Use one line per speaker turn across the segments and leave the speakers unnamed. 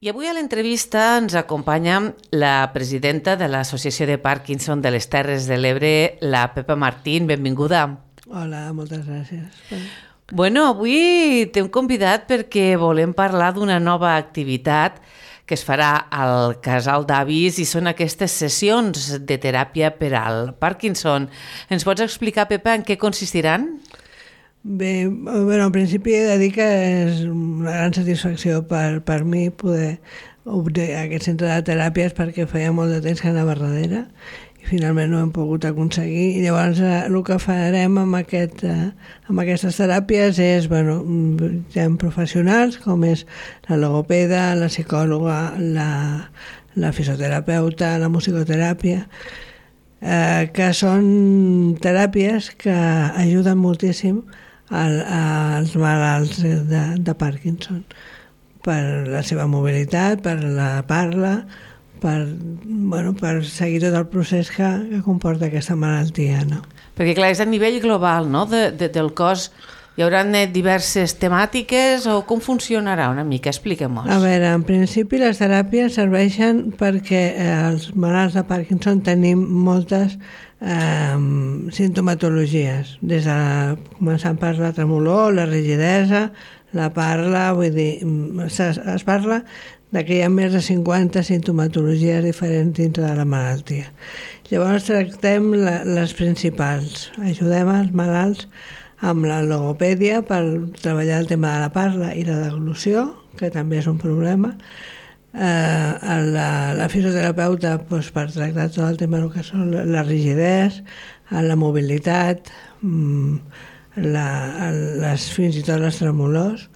I avui a l'entrevista ens acompanya la presidenta de l'Associació de Parkinson de les Terres de l'Ebre, la Pepa Martín. Benvinguda.
Hola, moltes gràcies.
Bueno, avui t'hem convidat perquè volem parlar d'una nova activitat que es farà al Casal d'Avis i són aquestes sessions de teràpia per al Parkinson. Ens pots explicar, Pepa, en què consistiran?
Bé, en principi he de dir que és una gran satisfacció per mi poder obrir aquest centre de teràpies perquè feia molt de temps que anava darrere i finalment no hem pogut aconseguir. I llavors el que farem amb aquestes teràpies és, hi ha professionals com és la logopeda, la psicòloga, la fisioterapeuta, la musicoteràpia, que són teràpies que ajuden moltíssim als malalts de Parkinson per la seva mobilitat, per la parla, per seguir tot el procés que comporta aquesta malaltia, no?
Perquè clar, és a nivell global, no?, del cos. Hi haurà diverses temàtiques o com funcionarà una mica? Expliquem-nos.
A veure, en principi les teràpies serveixen perquè els malalts de Parkinson tenim moltes sintomatologies, començant per la tremolor, la rigidesa, la parla, vull dir, es parla de que hi ha més de 50 sintomatologies diferents dintre de la malaltia. Llavors tractem les principals. Ajudem els malalts amb la logopèdia per treballar el tema de la parla i la deglució, que també és un problema. La fisioterapeuta per tractar tot el tema que són la rigidesa, la mobilitat, fins i tot les tremolors.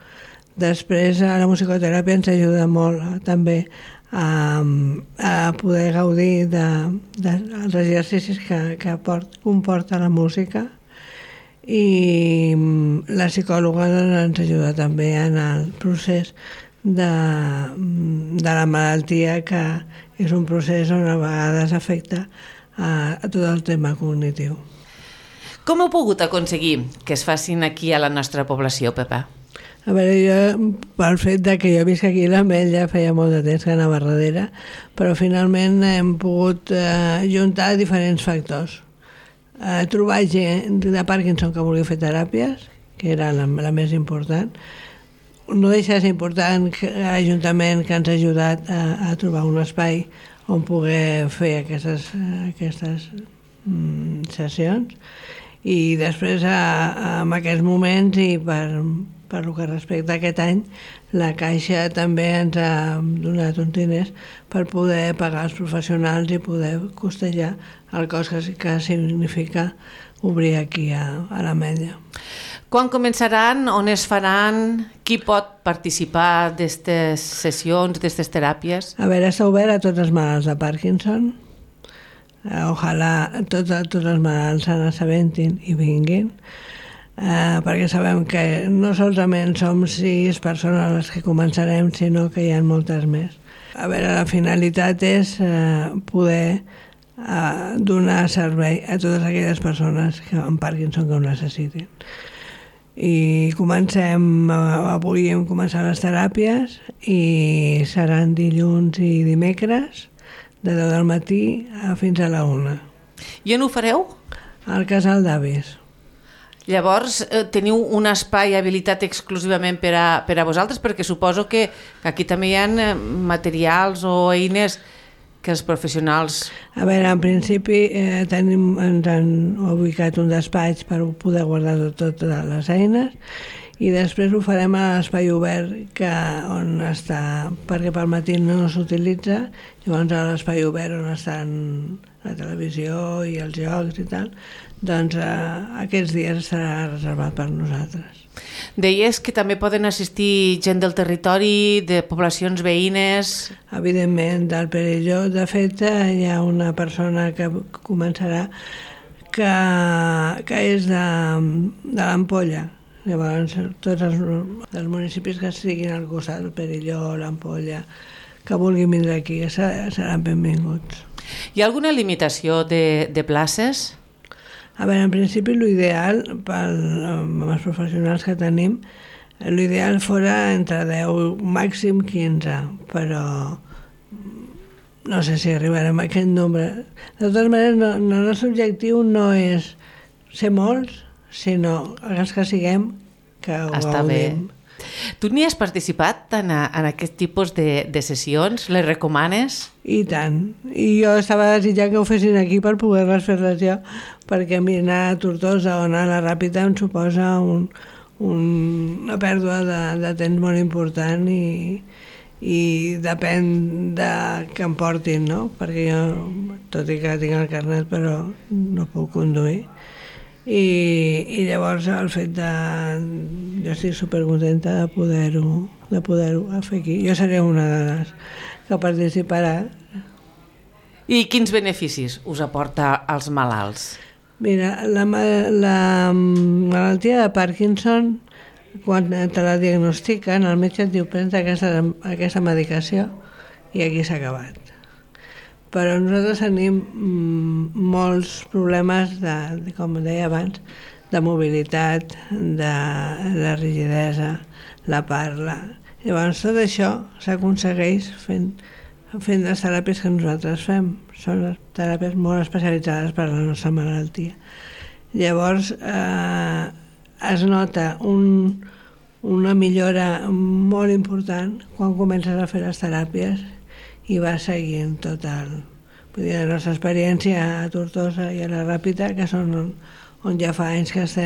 Després la musicoteràpia ens ajuda molt també a poder gaudir dels exercicis que comporta la música, i la psicòloga ens ajuda també en el procés de la malaltia, que és un procés on a vegades afecta a tot el tema cognitiu.
Com heu pogut aconseguir que es facin aquí a la nostra població, Pepa?
A veure, jo, pel fet de que jo visc aquí a l'Ametlla, feia molt de temps que anava darrere, però finalment hem pogut juntar diferents factors. Trobar gent de Parkinson que vulgui fer teràpies, que era la més important. No deixa de ser important l'Ajuntament que ens ha ajudat a trobar un espai on poder fer aquestes sessions, i després en aquests moments i per el que respecta a aquest any, la Caixa també ens ha donat uns diners per poder pagar els professionals i poder costejar el cost que significa obrir aquí a l'Ametlla.
Quan començaran? On es faran? Qui pot participar d'aquestes sessions, d'aquestes teràpies?
A veure, està obert a tots els malalts de Parkinson. Ojalà tots els malalts se n'assabentin i vinguin, perquè sabem que no solament som 6 persones les que començarem, sinó que hi ha moltes més. A veure, la finalitat és poder donar servei a totes aquelles persones amb Parkinson que ho necessitin. I avui hem començat les teràpies i seran dilluns i dimecres de 10 del matí fins a la 1.
I on ho fareu?
Al Casal d'Avis.
Llavors, teniu un espai habilitat exclusivament per a vosaltres, perquè suposo que aquí també hi ha materials o eines que els professionals...
A veure, en principi ens han ubicat un despatx per poder guardar totes les eines, i després ho farem a l'espai obert on està, perquè pel matí no s'utilitza. Llavors a l'espai obert on estan la televisió i els jocs i tal, doncs aquests dies estarà reservat per nosaltres.
Deies que també poden assistir gent del territori, de poblacions veïnes...
Evidentment, del Perelló. De fet, hi ha una persona que començarà que és de l'Ampolla. Llavors, tots els municipis que estiguin al costat, el Perelló, l'Ampolla, que vulguin vindre aquí, seran benvinguts.
Hi ha alguna limitació de places?
A veure, en principi l'ideal amb els professionals que tenim L'ideal fora entre 10, màxim 15, però no sé si arribarem a aquest nombre. De totes maneres, el nostre objectiu no és ser molts, sinó els que siguem, que ho gaudim.
Tu n'hi has participat en aquest tipus de sessions? Les recomanes?
I tant. I jo estava desitjant que ho fessin aquí per poder-les fer-les jo, perquè a mi anar a Tortosa o anar a la Ràpita em suposa una pèrdua de temps molt important i depèn de què em portin, no? Perquè jo, tot i que tinc el carnet, però no puc conduir. I llavors el fet de... Jo estic supercontenta de poder-ho fer aquí. Jo seré una de les que participarà.
I quins beneficis us aporta als malalts?
Mira, la malaltia de Parkinson, quan te la diagnostiquen, el metge et diu prens aquesta medicació i aquí s'ha acabat. Però nosaltres tenim molts problemes, com deia abans, de mobilitat, de rigidesa, la parla. Llavors tot això s'aconsegueix fent les teràpies que nosaltres fem. Són teràpies molt especialitzades per a la nostra malaltia. Llavors es nota una millora molt important quan comences a fer les teràpies i va seguint tot vull dir, la nostra experiència a Tortosa i a la Ràpita, que són on ja fa anys que les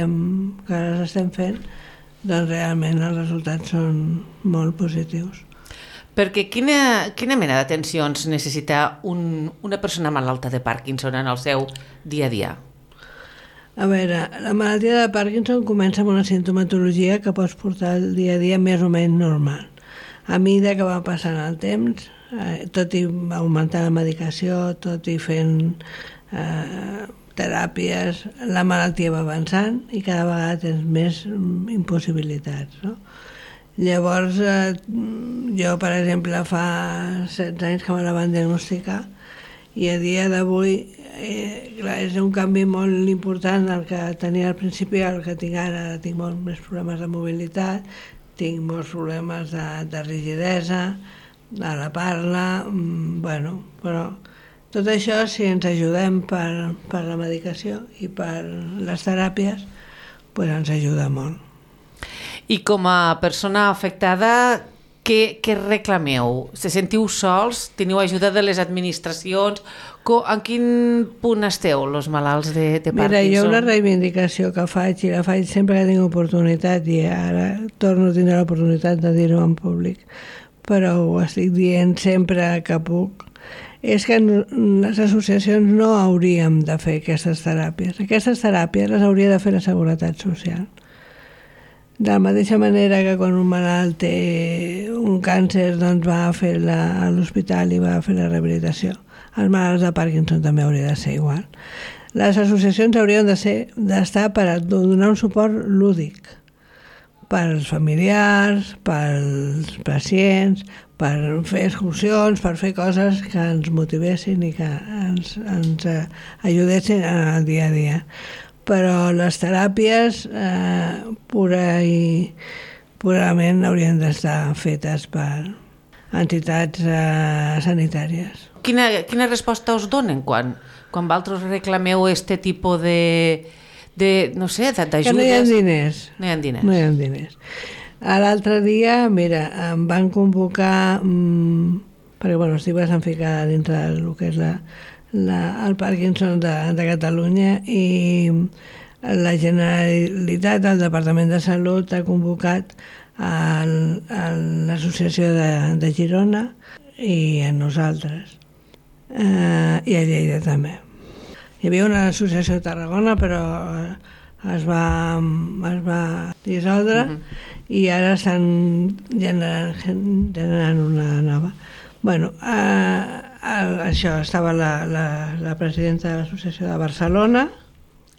estem fent, doncs realment els resultats són molt positius.
Perquè quina mena d'atencions necessita una persona malalta de Parkinson en el seu dia a dia?
A veure, la malaltia de Parkinson comença amb una sintomatologia que pots portar el dia a dia més o menys normal. A mesura que va passant el temps, tot i augmentar la medicació, tot i fent teràpies, la malaltia va avançant i cada vegada tens més impossibilitats, no? Llavors, jo, per exemple, fa 16 anys que me la van diagnosticar i a dia d'avui és un canvi molt important el que tenia al principi, el que tinc ara. Tinc molts més problemes de mobilitat, tinc molts problemes de rigidesa, a la parla, però tot això, si ens ajudem per la medicació i per les teràpies, doncs ens ajuda molt.
I com a persona afectada, què reclameu? Se sentiu sols? Teniu ajuda de les administracions? En quin punt esteu, els malalts de Parkinson?
Mira, jo una reivindicació que faig, i la faig sempre que tinc oportunitat, i ara torno a tindre l'oportunitat de dir-ho en públic, però ho estic dient sempre que puc, és que les associacions no hauríem de fer aquestes teràpies. Aquestes teràpies les hauria de fer la Seguretat Social. De la mateixa manera que quan un malalt té un càncer, doncs va a fer a l'hospital i va a fer la rehabilitació. Els malalts de Parkinson també hauria de ser igual. Les associacions haurien d'estar per donar un suport lúdic pels familiars, pels pacients, per fer excursions, per fer coses que ens motivessin i que ens ajudessin en el dia a dia. Però les teràpies purament haurien d'estar fetes per entitats sanitàries.
Quina resposta us donen quan vosaltres reclameu aquest tipus no sé, d'ajudes?
Que no hi ha diners.
No hi ha diners.
No hi ha diners. L'altre dia, mira, em van convocar, perquè estic bastant ficada dintre del que és el Parkinson de Catalunya, i la Generalitat, el Departament de Salut, ha convocat a l'Associació de Girona i a nosaltres, i a Lleida també. Hi havia una associació a Tarragona, però es va dissoldre i ara estan generant una nova. Això, estava la presidenta de l'Associació de Barcelona,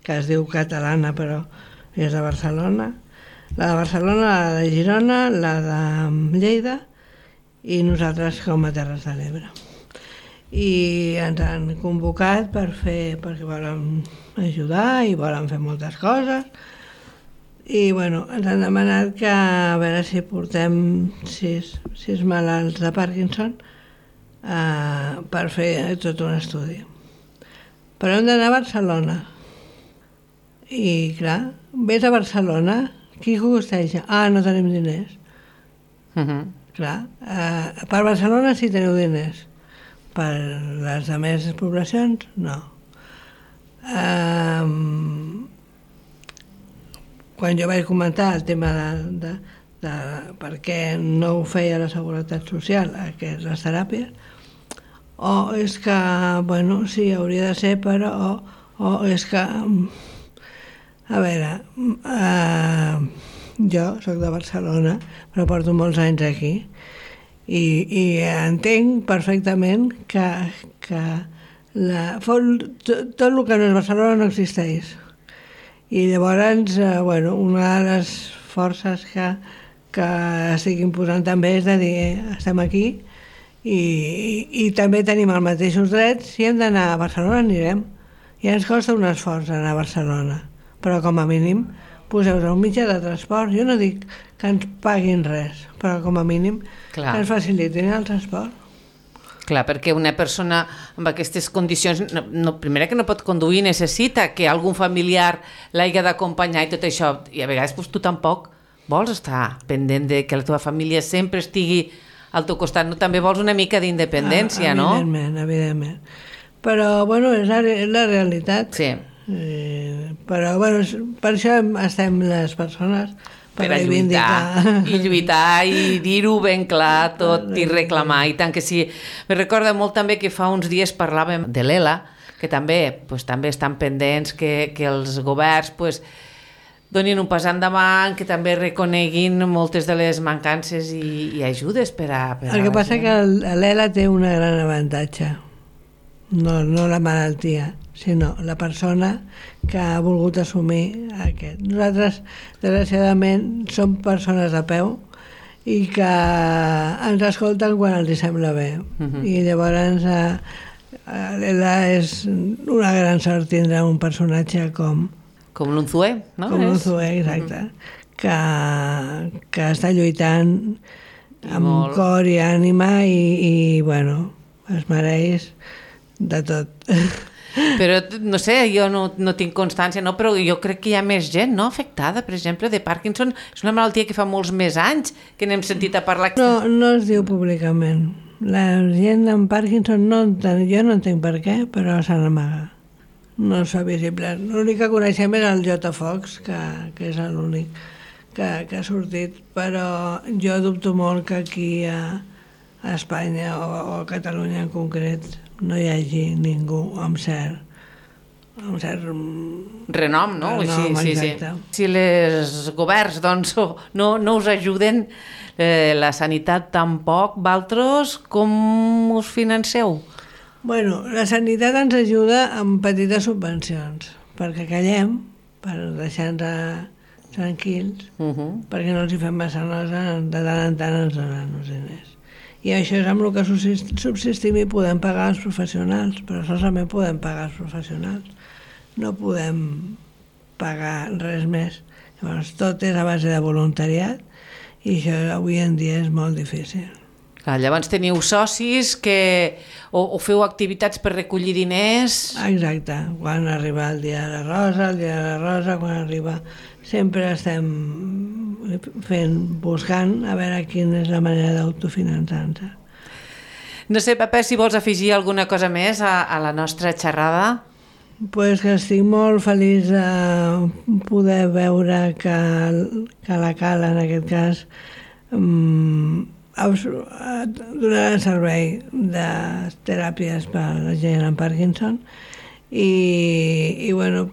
que es diu catalana però és de Barcelona, la de Barcelona, la de Girona, la de Lleida i nosaltres com a Terres de l'Ebre. I ens han convocat perquè volen ajudar i volen fer moltes coses I bueno, ens han demanat que a veure si portem 6 malalts de Parkinson per fer tot un estudi. Però hem d'anar a Barcelona. I clar, vés a Barcelona, qui costeja? No tenim diners. Clar, per Barcelona sí teniu diners. Per les altres poblacions, no. Quan jo vaig comentar el tema de per què no ho feia la Seguretat Social, les teràpies, és que, bueno, sí, hauria de ser, però, és que, a veure, jo soc de Barcelona, però porto molts anys aquí, i entenc perfectament que tot el que no és Barcelona no existeix. I llavors, bueno, una de les forces que estic imposant també és de dir, estem aquí i també tenim els mateixos drets, si hem d'anar a Barcelona anirem. Ja ens costa un esforç anar a Barcelona, però com a mínim poseu-vos un mitjà de transport. Jo no dic que ens paguin res, però com a mínim que ens facilitin el transport.
Clar, perquè una persona amb aquestes condicions, primera que no pot conduir, necessita que algun familiar l'hagi d'acompanyar i tot això, i a vegades tu tampoc vols estar pendent de que la teva família sempre estigui al teu costat, no? També vols una mica d'independència, no?
Evidentment. Però, bueno, és la realitat.
Sí.
Però, bueno, per això estem les persones
per lluitar i dir-ho ben clar tot i reclamar, i tant que sí. Me recorda molt també que fa uns dies parlàvem de l'ELA, que també estan pendents que els governs donin un pas endavant, que també reconeguin moltes de les mancances i ajudes per a
el que passa que l'ELA té un gran avantatge, no la malaltia, sinó la persona que ha volgut assumir aquest. Nosaltres, desgraciadament, som persones de peu i que ens escolten quan els sembla bé. I llavors l'ELA és una gran sort tindre un personatge com
l'Unzué, no?
Com l'Unzué, exacte. Que està lluitant amb cor i ànima i bueno, es mereix de tot.
Però, no sé, jo no tinc constància, no? Però jo crec que hi ha més gent, no?, afectada, per exemple, de Parkinson. És una malaltia que fa molts més anys que n'hem sentit a parlar.
No es diu públicament. La gent amb Parkinson, jo no entenc per què, però se n'amaga. No és visible. L'únic que coneixem és el J. Fox, que és l'únic que ha sortit, però jo dubto molt que aquí a Espanya o a Catalunya en concret no hi hagi ningú amb cert
renom, no?
Sí.
Si els governs doncs, no us ajuden, la sanitat tampoc, vosaltres com us financeu?
Bueno, la sanitat ens ajuda amb petites subvencions, perquè callem, per deixar-nos tranquils, perquè no els hi fem massa nosa, de tant en tant ens donen els diners. I això és amb el que subsistim i podem pagar els professionals, però solament podem pagar els professionals. No podem pagar res més. Llavors, tot és a base de voluntariat i això avui en dia és molt difícil.
Llavors teniu socis o feu activitats per recollir diners?
Exacte. Quan arriba el dia de la rosa, quan arriba... Sempre estem buscant a veure quina és la manera d'autofinançar-se.
No sé, Pepa, si vols afegir alguna cosa més a la nostra xerrada?
Pues que estic molt feliç de poder veure que la Cala, en aquest cas, donarà servei de teràpies per a la gent amb Parkinson i bueno,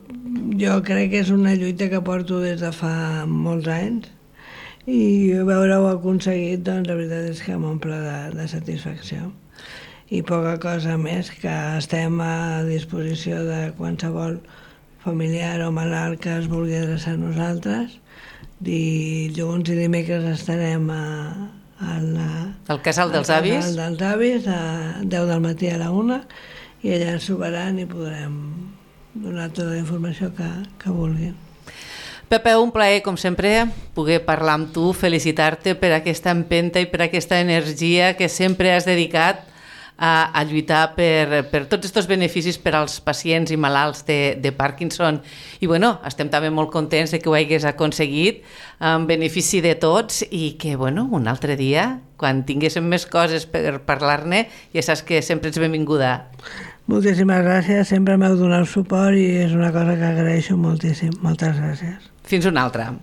jo crec que és una lluita que porto des de fa molts anys i veure-ho aconseguit, doncs la veritat és que m'omple de satisfacció. I poca cosa més, que estem a disposició de qualsevol familiar o malalt que es vulgui adreçar a nosaltres. Dilluns i dimecres estarem
al Casal dels Avis?
Al Casal dels Avis, a 10 del matí a la 1, i allà ens trobaran i podrem donar tota la informació que vulguin.
Pepe, un plaer, com sempre, poder parlar amb tu, felicitar-te per aquesta empenta i per aquesta energia que sempre has dedicat a lluitar per tots aquests beneficis per als pacients i malalts de Parkinson. I bueno, estem també molt contents de que ho hagués aconseguit en benefici de tots i que, bueno, un altre dia, quan tinguéssim més coses per parlar-ne, ja saps que sempre ets benvinguda.
Moltíssimes gràcies, sempre m'heu donat suport i és una cosa que agraeixo moltíssim. Moltes gràcies.
Fins una altra.